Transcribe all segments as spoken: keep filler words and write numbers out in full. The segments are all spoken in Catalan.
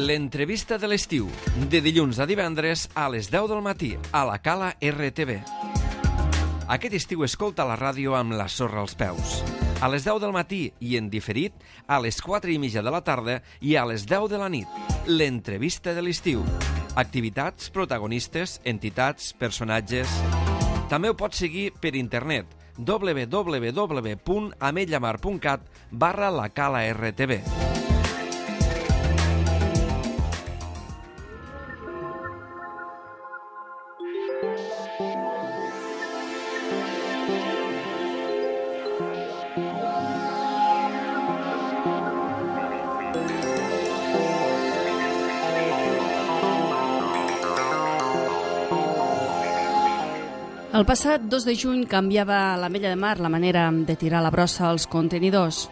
L'entrevista de l'estiu, de dilluns a divendres a les deu del matí, a la Cala R T V. Aquest estiu escolta la ràdio amb la sorra als peus. A les deu del matí i en diferit, a les quatre i mitja de la tarda i a les deu de la nit. L'entrevista de l'estiu. Activitats, protagonistes, entitats, personatges... També ho pots seguir per internet, w w w punt ametlla mar punt cat barra la Cala R T V. El passat dos de juny canviava a l'Ametlla de Mar la manera de tirar la brossa als contenidors.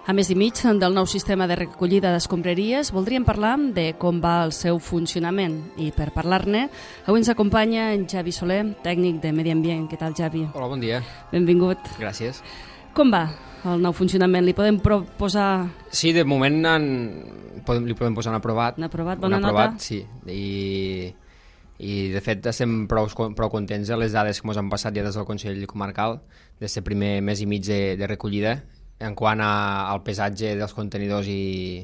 A més i mig del nou sistema de recollida d'escombraries, voldríem parlar de com va el seu funcionament. I per parlar-ne, avui ens acompanya en Javi Soler, tècnic de Medi Ambient. Què tal, Javi? Hola, bon dia. Benvingut. Gràcies. Com va el nou funcionament? Li podem proposar... Sí, de moment en... podem, li podem posar un aprovat. Un aprovat, bona un aprovat, nota? Sí, i... i de fet estem prou, prou contents de les dades que ens han passat ja des del Consell Comarcal d'aquest primer mes i mig de, de recollida en quant a, al pesatge dels contenidors i,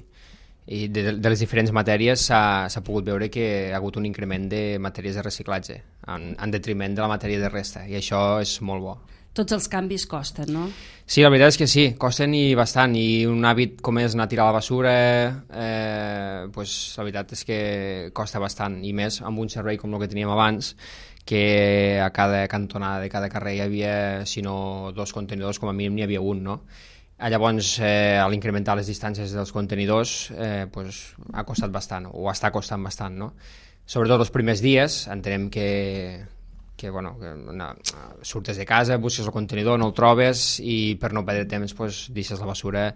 i de, de les diferents matèries s'ha pogut veure que hi ha hagut un increment de matèries de reciclatge en, en detriment de la matèria de resta i això és molt bo. Tots els canvis costen, no? Sí, la veritat és que sí, costen i bastant, i un hàbit com és anar a tirar la basura, eh, pues, la veritat és que costa bastant, i més amb un servei com el que teníem abans, que a cada cantonada de cada carrer hi havia, si no dos contenidors, com a mínim n'hi havia un, no? Llavors, eh, a l'incrementar les distàncies dels contenidors, eh, pues, ha costat bastant, o està costant bastant, no? Sobretot els primers dies, entenem que... que, bueno, que no, surtes de casa, busques el contenidor, no el trobes i per no perdre temps pues, deixes la basura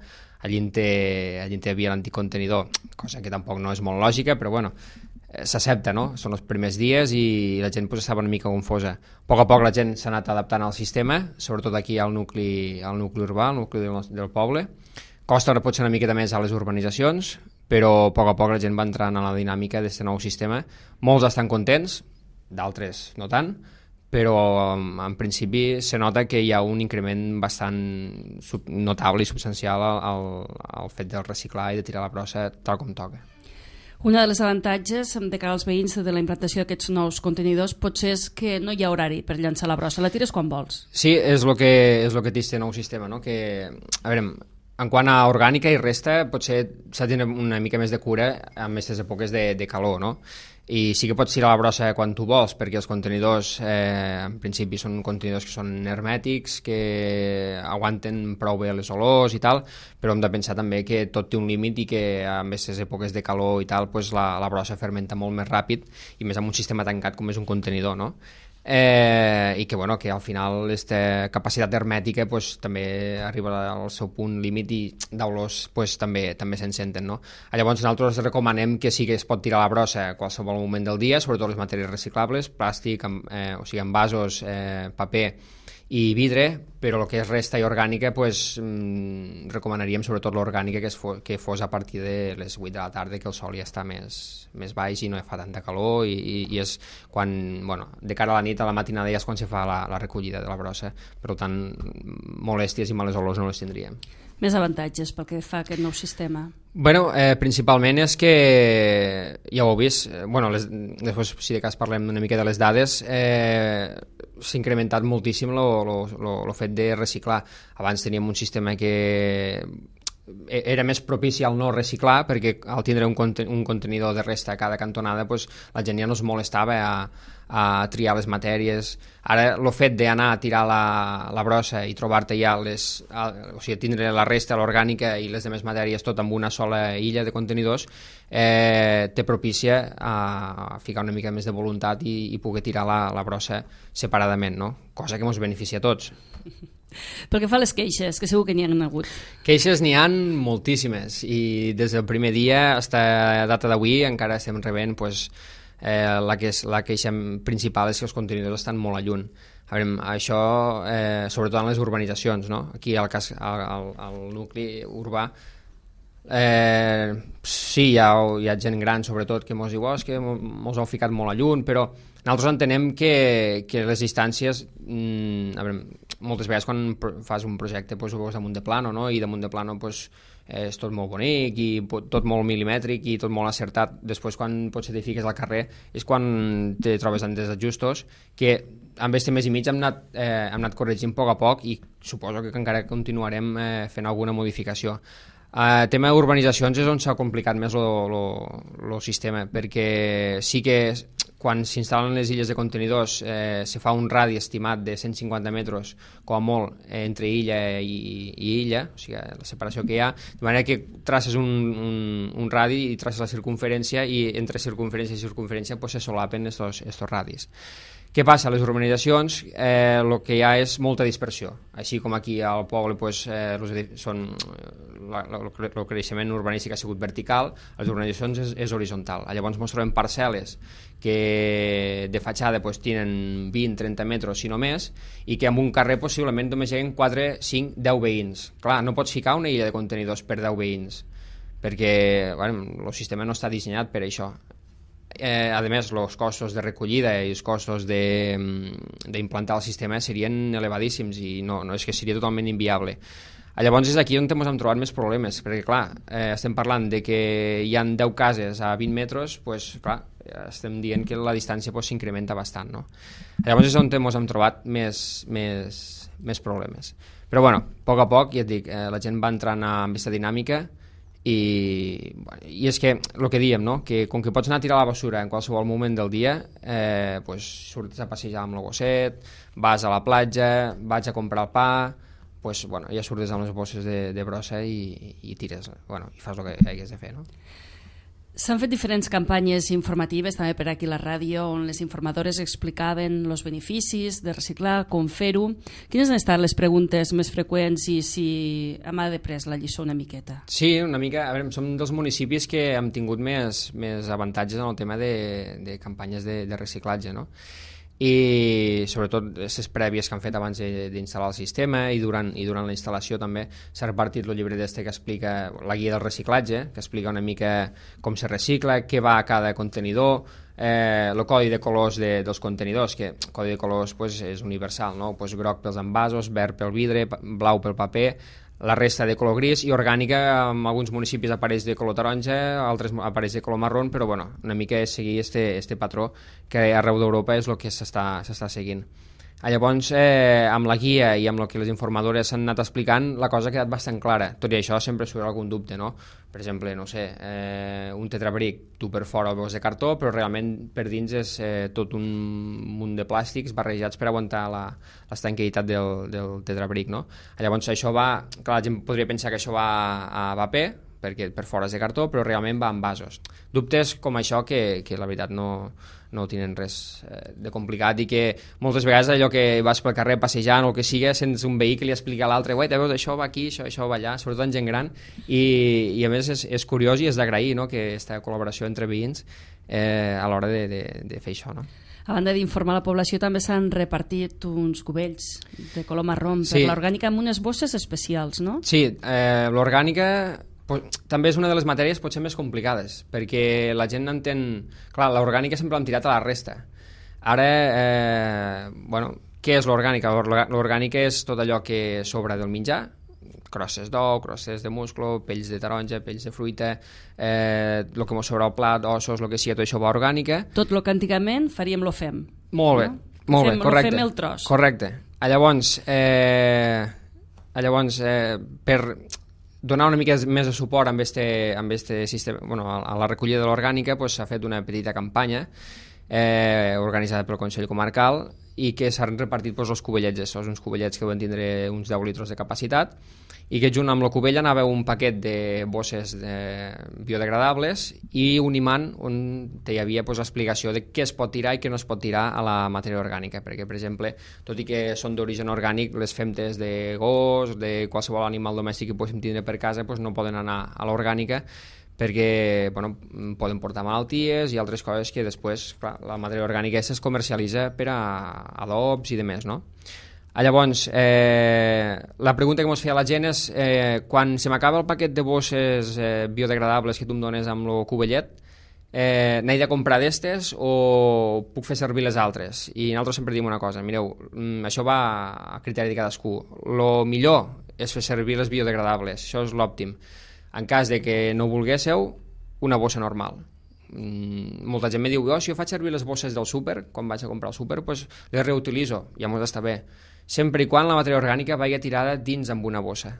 allí on hi havia l'antic contenidor, cosa que tampoc no és molt lògica, però bueno, eh, s'accepta, no? Són els primers dies i la gent pues, estava una mica confosa. A poc a poc la gent s'ha anat adaptant al sistema, sobretot aquí al nucli, al nucli urbà, al nucli del, del poble. Costa potser una miqueta més a les urbanitzacions, però a poc a poc la gent va entrant a la dinàmica d'aquest nou sistema. Molts estan contents, d'altres no tant, però en principi se nota que hi ha un increment bastant notable i substancial al, al, al fet del reciclar i de tirar la brossa tal com toca. Una de les avantatges de cara als veïns de la implantació d'aquests nous contenidors potser és que no hi ha horari per llançar la brossa, la tires quan vols. Sí, és el que, és el que té aquest nou sistema, no? Que, a veure, en quant a orgànica i resta, potser s'ha de tenir una mica més de cura en aquestes èpoques de, de calor, no? I sí que pots tirar la brossa quan tu vols, perquè els contenidors, eh, en principi, són contenidors que són hermètics, que aguanten prou bé les olors i tal, però hem de pensar també que tot té un límit i que en aquestes èpoques de calor i tal, pues la, la brossa fermenta molt més ràpid, i més amb un sistema tancat com és un contenidor, no? Eh, i que, bueno, que al final aquesta capacitat hermètica pues, també arriba al seu punt límit i d'olors pues, també també se'n senten, no? Llavors nosaltres recomanem que sí que es pot tirar la brossa a qualsevol moment del dia, sobretot les matèries reciclables, plàstic, eh, o sigui, envasos, eh, paper i vidre, però el que és resta i orgànica pues, mmm, recomanaríem sobretot l'orgànica que, fos, que fos a partir de les vuit de la tarda, que el sol ja està més, més baix i no fa tanta calor i, i, i és quan, bueno, de cara a la nit, a la matinada ja és quan se fa la, la recollida de la brossa, per tant molèsties i males olors no les tindríem. Més avantatges pel que fa a aquest nou sistema? Bueno, eh, principalment és que, ja ho heu vist, eh, bueno, les, després si de cas parlem una mica de les dades, eh, s'ha incrementat moltíssim el fet de reciclar. Abans teníem un sistema que era més propici al no reciclar, perquè al tindre un, conten un contenidor de resta a cada cantonada pues, la gent ja no es molestava a, a triar les matèries. Ara el fet d'anar a tirar la, la brossa i trobar-te ja les, a, o sigui, tindre la resta, l'orgànica i les demés matèries tot amb una sola illa de contenidors eh, te propicia a ficar una mica més de voluntat i, i poder tirar la, la brossa separadament, no? Cosa que ens beneficia a tots. Pel que fa a les queixes, que segur que n'hi ha hagut. Queixes n'hi ha moltíssimes i des del primer dia fins a data d'avui encara estem rebent pues, eh, la, que és, la queixa principal és que els contenidors estan molt a lluny. A veure, això, eh, sobretot en les urbanitzacions, no? Aquí al, cas, al, al, al nucli urbà Eh, sí, hi ha, hi ha gent gran, sobretot, que mos diu oh, és que mos heu ficat molt a lluny, però nosaltres entenem que, que les distàncies, mmm, a veure, moltes vegades quan fas un projecte pues, ho veus damunt de plano, no? I damunt de plano pues, és tot molt bonic i tot molt milimètric i tot molt acertat. Després quan potser t'hi fiques al carrer és quan te trobes en desajustos que amb este mes i mig hem anat, eh, hem anat corregint a poc a poc i suposo que encara continuarem eh, fent alguna modificació. El uh, tema d'urbanitzacions és on s'ha complicat més el sistema, perquè sí que quan s'instal·len les illes de contenidors eh, se fa un radi estimat de cent cinquanta metres com a molt eh, entre illa i, i illa, o sigui, la separació que hi ha, de manera que traces un, un, un radi i traces la circunferència i entre circunferència i circunferència pues, se solapen estos, estos radis. Què passa? A les urbanitzacions eh, el que hi ha és molta dispersió. Així com aquí al poble pues, eh, són, la, la, el creixement urbanístic ha sigut vertical, a les urbanitzacions és, és horitzontal. Llavors ens trobem parcel·les que de fatxada pues, tenen vint a trenta metres, si no més, i que en un carrer possiblement només hi ha quatre, cinc, deu veïns. Clar, no pots ficar una illa de contenidors per deu veïns, perquè bueno, el sistema no està dissenyat per això. Eh, a més, els costos de recollida i els costos d'implantar el sistema serien elevadíssims i no, no és que seria totalment inviable. Llavors és aquí on ens hem trobat més problemes, perquè clar, eh, estem parlant de que hi ha deu cases a vint metres, pues, clar, estem dient que la distància s'incrementa pues, bastant. No? Llavors és on ens hem trobat més, més, més problemes. Però bueno, a poc a poc, ja et dic, eh, la gent va entrant en aquesta dinàmica i, i és que el que diem, no? Que com que pots anar a tirar la basura en qualsevol moment del dia, eh, pues, surts a passejar amb el gosset, vas a la platja, vaig a comprar el pa, pues, bueno, ja surtes amb les bosses de, de brossa i, i tires, bueno, i fas el que hagués de fer, no? S'han fet diferents campanyes informatives també per aquí a la ràdio on les informadores explicaven els beneficis de reciclar, com fer-ho. Quines han estat les preguntes més freqüents i si hem après la lliçó una miqueta? Sí, una mica. A veure, som dels municipis que hem tingut més, més avantatges en el tema de, de campanyes de, de reciclatge, no? I sobretot les prèvies que han fet abans d'instal·lar el sistema i durant, i durant la instal·lació també s'ha repartit el llibre d'este que explica la guia del reciclatge, que explica una mica com se recicla, què va a cada contenidor, eh, el codi de colors de, dels contenidors, que el codi de colors pues, és universal, no? Pues, groc pels envasos, verd pel vidre, blau pel paper, la resta de color gris i orgànica, en alguns municipis apareix de color taronja, altres apareix de color marró, però bueno, una mica és seguir este, este patró que arreu d'Europa és el que s'està seguint. Llavors, eh, amb la guia i amb el que les informadores s'han anat explicant, la cosa ha quedat bastant clara. Tot i això sempre surt algun dubte, no? Per exemple, no sé, eh, un tetrabric, tu per fora el veus de cartó, però realment per dins és eh, tot un munt de plàstics barrejats per aguantar l'estanquitat del, del tetrabric, no? Llavors això va... Clar, la gent podria pensar que això va a paper, perquè per fora és de cartó, però realment va en vasos. Dubtes com això que, que la veritat no... no tenen res eh, de complicat i que moltes vegades allò que vas pel carrer passejant o el que sigui, sents un veí que li explica a l'altre, uai, veus, això va aquí, això, això va allà, sobretot en gent gran i, i a més és, és curiós i és d'agrair, no?, que aquesta col·laboració entre veïns eh, a l'hora de, de, de fer això, no? A banda d'informar la població també s'han repartit uns cubells de color marró per sí. l'orgànica amb unes bosses especials, no? Sí, eh, l'orgànica també és una de les matèries potser més complicades, perquè la gent entén... Clar, l'orgànica sempre l'han tirat a la resta. Ara, eh, bueno, què és l'orgànica? L'orgànica és tot allò que sobra del menjar, crosses d'ou, crosses de musclo, pells de taronja, pells de fruita, eh, el que mos sobra al plat, ossos, el que sigui, tot això va orgànica. Tot el que antigament faríem lo fem. Molt bé, no? molt fem, bé, correcte. Lo fem el tros. Correcte. Llavors, eh, llavors eh, per... donar una mica més de suport amb este, amb este sistema, bueno, a la recollida de l'orgànica pues, s'ha fet una petita campanya eh, organitzada pel Consell Comarcal i que s'han repartit pues, els cubellets estos, uns cubellets que deuen tindre uns deu litres de capacitat i que junt amb la cubella anava un paquet de bosses de biodegradables i un imant on hi havia pues, explicació de què es pot tirar i què no es pot tirar a la matèria orgànica, perquè per exemple, tot i que són d'origen orgànic, les femtes de gos, de qualsevol animal domèstic que poguéssim tindre per casa pues, no poden anar a l'orgànica perquè bueno, poden portar malalties i altres coses que després, clar, la matèria orgànica es comercialitza per a adobs i demés, no? Llavors, eh, la pregunta que ens feia la gent és eh, quan se m'acaba el paquet de bosses eh, biodegradables que tu em dones amb el cuvellet, eh, n'he de comprar d'estes o puc fer servir les altres? I nosaltres sempre diem una cosa, mireu, això va a criteri de cadascú. Lo millor és fer servir les biodegradables, això és l'òptim. En cas de que no volguésseu, una bossa normal. Mm, molta gent me diu, oh, si jo faig servir les bosses del súper, quan vaig a comprar al súper, pues les reutilitzo, ja mos està bé. Sempre i quan la matèria orgànica vagi tirada dins amb una bossa.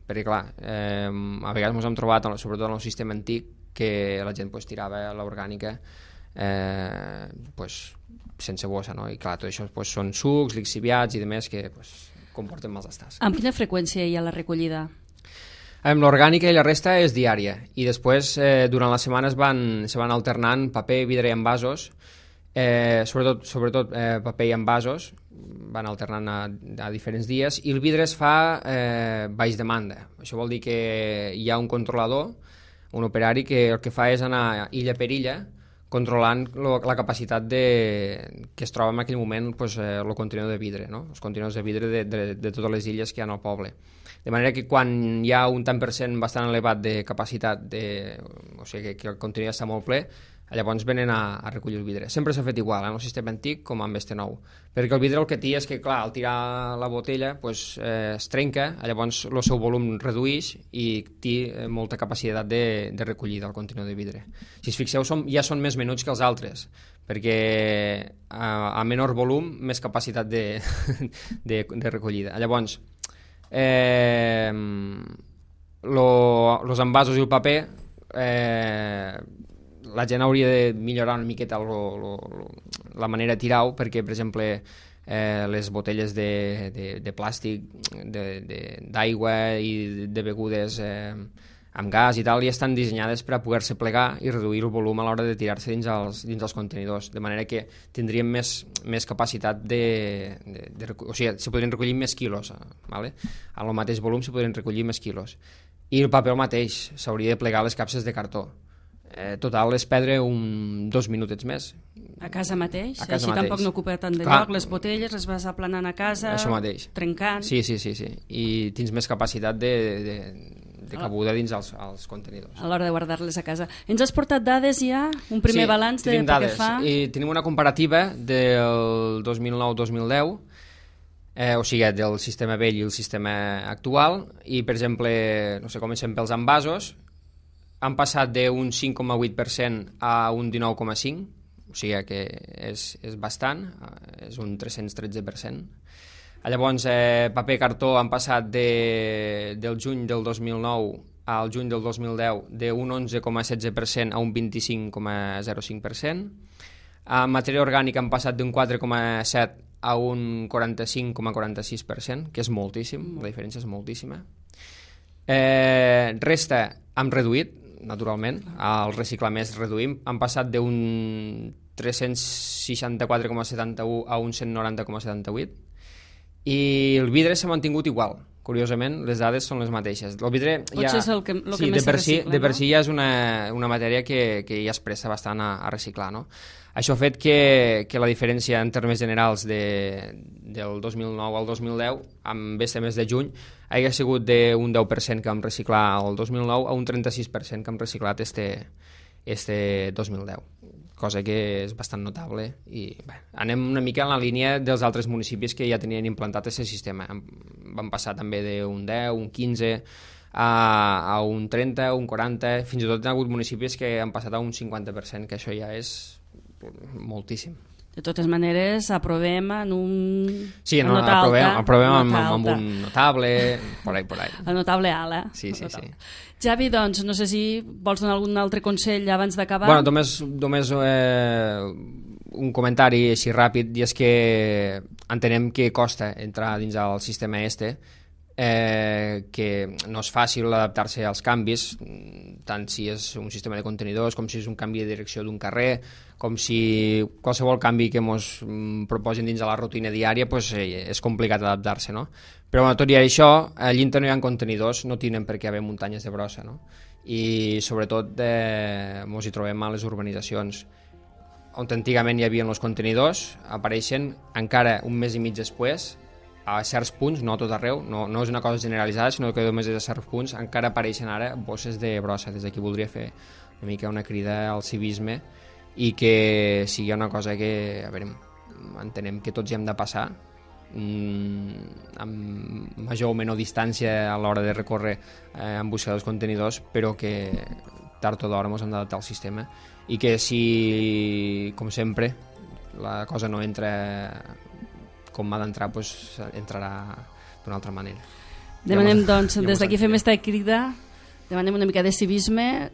Perquè, clar, eh, a vegades ens hem trobat, sobretot en el sistema antic, que la gent pues, tirava l'orgànica eh, pues, sense bossa, no? I clar, tot això pues, són sucs, lixiviats i demés que pues, comporten mals estats. Amb quina freqüència hi ha la recollida? Amb l'orgànica i la resta és diària. I després, eh, durant la setmana es van, se van alternant paper, vidre i envasos, eh, sobretot, sobretot eh, paper i envasos, van alternant a, a diferents dies, i el vidre es fa eh, baix demanda. Això vol dir que hi ha un controlador, un operari, que el que fa és anar illa per illa controlant lo, la capacitat de, que es troba en aquell moment pues, eh, el contenidor de vidre, no? Els contenidors de vidre de, de, de totes les illes que hi ha al poble. De manera que quan hi ha un tant per cent bastant elevat de capacitat, de, o sigui que, que el contenidor està molt ple, llavors venen a, a recollir el vidre. Sempre s'ha fet igual, en el sistema antic com amb este nou. Perquè el vidre el que té és que, clar, al tirar la botella pues, eh, es trenca, llavors el seu volum redueix i té eh, molta capacitat de, de recollida del contenidor de vidre. Si es fixeu, som, ja són més menuts que els altres, perquè a, a menor volum, més capacitat de, de, de recollida. Llavors, eh, lo, los envasos i el paper eh, la gent hauria de millorar una miqueta lo, lo, lo, la manera de tirar-ho, perquè, per exemple, eh, les botelles de, de, de plàstic, d'aigua i de begudes eh, amb gas i tal, ja estan dissenyades per a poder-se plegar i reduir el volum a l'hora de tirar-se dins els, dins els contenidors, de manera que tindríem més, més capacitat de, de, de... O sigui, se podrien recollir més quilos, ¿vale? A el mateix volum se podrien recollir més quilos. I el paper el mateix, s'hauria de plegar les capses de cartó. Eh, total és perdre un, dos minutets més. A casa mateix? A casa Així mateix. Tampoc no ocupa tant de Clar. lloc, les botelles les vas aplanant a casa, Això mateix. trencant... Sí, sí, sí, sí. I tens més capacitat de, de, de cabuda dins els, els contenidors. A l'hora de guardar-les a casa. Ens has portat dades ja? Un primer sí, balanç de tenim pel dades. que fa? I tenim una comparativa del dos mil nou dos mil deu, eh, o sigui, del sistema vell i el sistema actual, i, per exemple, no sé, comencem pels envasos, han passat d'un cinc coma vuit per cent a un dinou coma cinc per cent, o sigui que és, és bastant, és un tres-cents tretze per cent. Llavors, eh, paper cartó han passat de, del juny del dos mil nou al juny del dos mil deu d'un onze coma setze per cent a un vint-i-cinc coma zero cinc per cent. A matèria orgànica han passat d'un quatre coma set a un quaranta-cinc coma quaranta-sis per cent, que és moltíssim, la diferència és moltíssima. Eh, resta hem reduït, naturalment, al reciclar més reduïm, han passat d'un tres-cents seixanta-quatre coma setanta-u a un cent noranta coma setanta-vuit, i el vidre s'ha mantingut igual. Curiosament, les dades són les mateixes. El vidre ja, és el que, el sí, que més de per se si, recicla, de per no? si ja és una, una matèria que, que ja es presta bastant a, a reciclar, no? Això ha fet que, que la diferència en termes generals de, del dos mil nou al dos mil deu, amb este mes de juny, hagi sigut d'un deu per cent que vam reciclar el dos mil nou a un trenta-sis per cent que hem reciclat este, este dos mil deu, cosa que és bastant notable. I bé, anem una mica en la línia dels altres municipis que ja tenien implantat aquest sistema. Van passar també d'un deu, un quinze, a, a un trenta, un quaranta, fins i tot hi ha hagut municipis que han passat a un cinquanta per cent, que això ja és moltíssim. De totes maneres, aprovem en un... Sí, no, nota aprovem, alta, aprovem nota amb, amb alta. un notable, por ahí, por ahí. El notable alt, eh? Sí, sí, sí. Javi, doncs, no sé si vols donar algun altre consell abans d'acabar. Bueno, només, només eh, un comentari així ràpid, i és que entenem que costa entrar dins el sistema este, eh, que no és fàcil adaptar-se als canvis, tant si és un sistema de contenidors com si és un canvi de direcció d'un carrer, com si qualsevol canvi que ens proposin dins de la rutina diària, pues, eh, és complicat adaptar-se, no? Però bueno, tot i això, allí no hi ha contenidors, no tenen per què haver muntanyes de brossa, no? I sobretot eh, ens hi trobem a les urbanitzacions on antigament hi havia els contenidors, apareixen encara un mes i mig després a certs punts, no a tot arreu, no, no és una cosa generalitzada, sinó que només és a certs punts, encara apareixen ara bosses de brossa. Des d'aquí voldria fer una mica una crida al civisme i que sigui una cosa que, a veure, entenem que tots hi hem de passar, mmm, amb major o menor distància a l'hora de recórrer eh, en busca dels contenidors, però que tard o d'hora ens hem d'adaptar al sistema i que si, com sempre, la cosa no entra com ha d'entrar, doncs entrarà d'una altra manera. Demanem, doncs, des d'aquí fem esta crida, demanem una mica de civisme,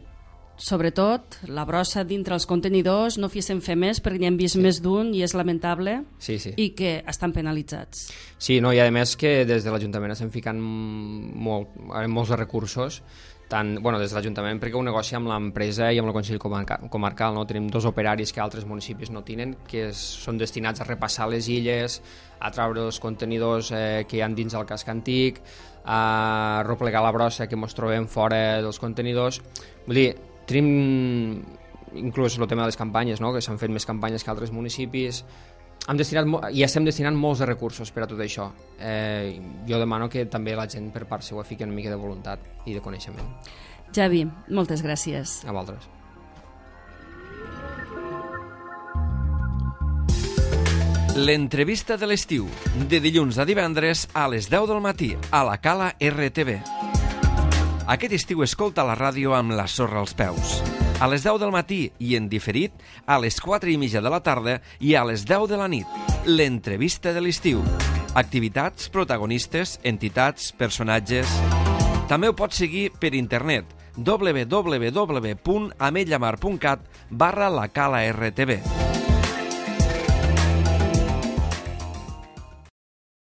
sobretot la brossa dintre els contenidors, no féssim fer més perquè n'hi hem vist sí. més d'un i és lamentable sí, sí. i que estan penalitzats. Sí, no, i a més que des de l'Ajuntament estem ficant molt, molts recursos, tant, bueno, des de l'Ajuntament perquè ho negocia amb l'empresa i amb el Consell Comarcal, no? Tenim dos operaris que altres municipis no tenen, que és, són destinats a repassar les illes, a treure els contenidors eh, que hi ha dins el casc antic, a replegar la brossa que ens trobem fora dels contenidors. Vull dir, tenim inclús el tema de les campanyes, no? Que s'han fet més campanyes que altres municipis. Hem destinat, i estem destinant molts de recursos per a tot això. Eh, jo demano que també la gent per part seva fiqui una mica de voluntat i de coneixement. Javi, moltes gràcies. A vosaltres. L'entrevista de l'estiu, de dilluns a divendres a les deu del matí, a la Cala R T V. Aquest estiu escolta la ràdio amb la sorra als peus. A les deu del matí i en diferit a les quatre i mitja de la tarda i a les deu de la nit. L'entrevista de l'estiu. Activitats, protagonistes, entitats, personatges... També ho pots seguir per internet w w w punt ametlllamar punt cat barra la cala R T V.